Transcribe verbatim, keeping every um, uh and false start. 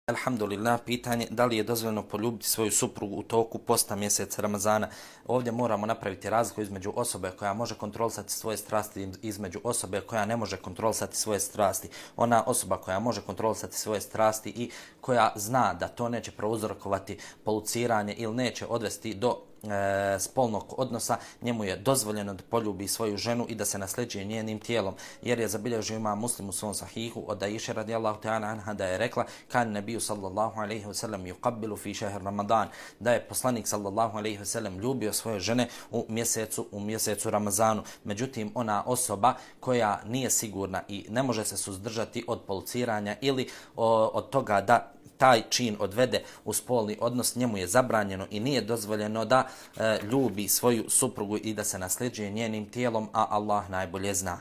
Alhamdulillah, pitanje da li je dozvoljeno poljubiti svoju suprugu u toku posta mjeseca Ramazana. Ovdje moramo napraviti razliku između osobe koja može kontrolisati svoje strasti i između osobe koja ne može kontrolisati svoje strasti. Ona osoba koja može kontrolisati svoje strasti i koja zna da to neće prouzrokovati poluciranje ili neće odvesti do E, spolnog odnosa, njemu je dozvoljeno da poljubi svoju ženu i da se nasljeđuje njenim tijelom, jer je zabilježio Imam Muslim u svom sahihu od Aisha radijallahu ta'ala anha da je rekla: kan nebiju sallallahu alejhi ve sellem yuqabbilu fi šehr Ramadan, da je poslanik sallallahu alejhi ve sellem ljubio svoje žene u mjesecu u mjesecu Ramazanu. Međutim, ona osoba koja nije sigurna i ne može se suzdržati od poluciranja ili o, od toga da taj čin odvede u spolni odnos, njemu je zabranjeno i nije dozvoljeno da e, ljubi svoju suprugu i da se nasljeđuje njenim tijelom, a Allah najbolje zna.